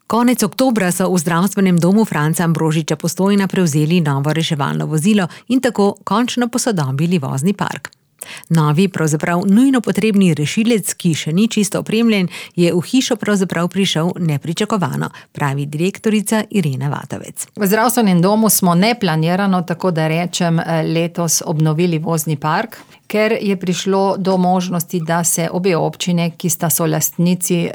Konec oktobra so v zdravstvenem domu Franca Ambrožiča Postojna prevzeli novo reševalno vozilo in tako končno posodobili vozni park. Novi, pravzaprav nujno potrebni rešilec, ki še ni čisto opremljen, je v hišo pravzaprav prišel nepričakovano, pravi direktorica Irena Vatovec. V zdravstvenem domu smo neplanirano, tako da rečem, letos obnovili vozni park, ker je prišlo do možnosti, da se obe občine, ki sta solastnici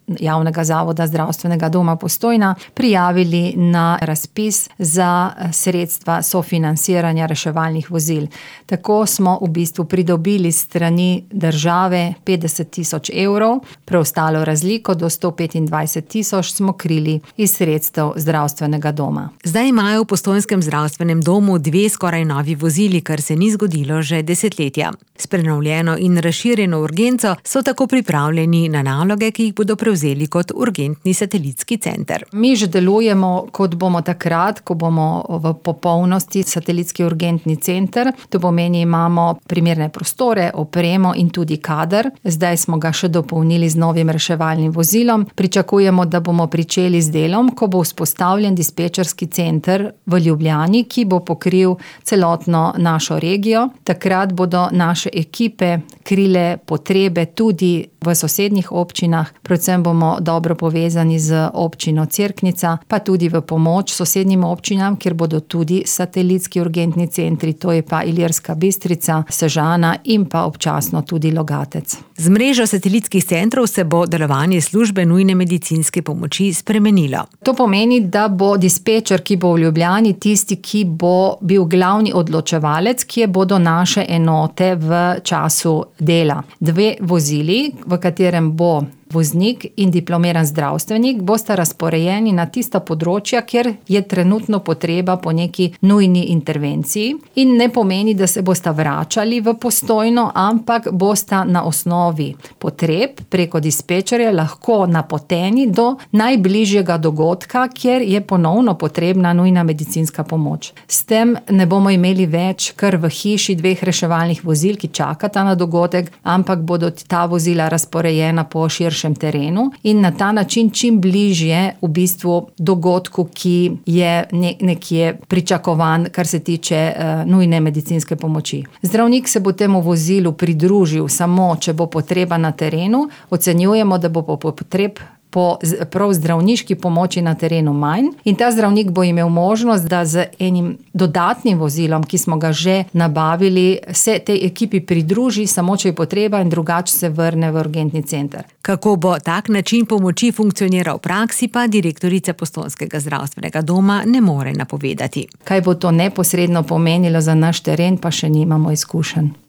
javnega zavoda zdravstvenega doma Postojna, prijavili na razpis za sredstva sofinansiranja reševalnih vozil. Tako smo v bistvu pridobili strani države 50 000 evrov, preostalo razliko do 125 000 smo krili iz sredstev zdravstvenega doma. Zdaj imajo v postojnskem zdravstvenem domu 2 skoraj novi vozili, kar se ni zgodilo že desetletja. S prenovljeno in razširjeno urgenco so tako pripravljeni na naloge, ki jih bodo prevzeli kot urgentni satelitski center. Mi že delujemo, kot bomo takrat, ko bomo v popolnosti satelitski urgentni center. To pomeni, imamo primerne prostore, opremo in tudi kader. Zdaj smo ga še dopolnili z novim reševalnim vozilom. Pričakujemo, da bomo pričeli z delom, ko bo vzpostavljen dispečerski center v Ljubljani, ki bo pokril celotno našo regijo. Takrat bodo naše ekipe krile potrebe tudi v sosednjih občinah. Predvsem bomo dobro povezani z občino Cerknica, pa tudi v pomoč sosednjim občinam, kjer bodo tudi satelitski urgentni centri, to je pa Ilirska Bistrica, Sežana in pa občasno tudi Logatec. Z mrežo satelitskih centrov se bo delovanje službe nujne medicinske pomoči spremenilo. To pomeni, da bo dispečer, ki bo v Ljubljani, tisti, ki bo bil glavni odločevalec, kje bodo naše enote v času dela. 2 vozili, v katerem bo voznik in diplomiran zdravstvenik, bosta razporejeni na tista področja, kjer je trenutno potreba po neki nujni intervenciji, in ne pomeni, da se bosta vračali v Postojno, ampak bosta na osnovi potreb preko dispečerja lahko napoteni do najbližjega dogodka, kjer je ponovno potrebna nujna medicinska pomoč. S tem ne bomo imeli več kar v hiši 2 reševalnih vozil, ki čakata na dogodek, ampak bodo ta vozila razporejena po terenu in na ta način čim bližje v bistvu dogodku, ki je nekje pričakovan, kar se tiče nujne medicinske pomoči. Zdravnik se bo temu vozilu pridružil samo, če bo potreba na terenu. Ocenjujemo, da bo potreb po prav zdravniški pomoči na terenu manj in ta zdravnik bo imel možnost, da z enim dodatnim vozilom, ki smo ga že nabavili, se tej ekipi pridruži, samo če je potreba, in drugače se vrne v urgentni center. Kako bo tak način pomoči funkcioniral v praksi, pa direktorica postojnskega zdravstvenega doma ne more napovedati. Kaj bo to neposredno pomenilo za naš teren, pa še nimamo izkušenj.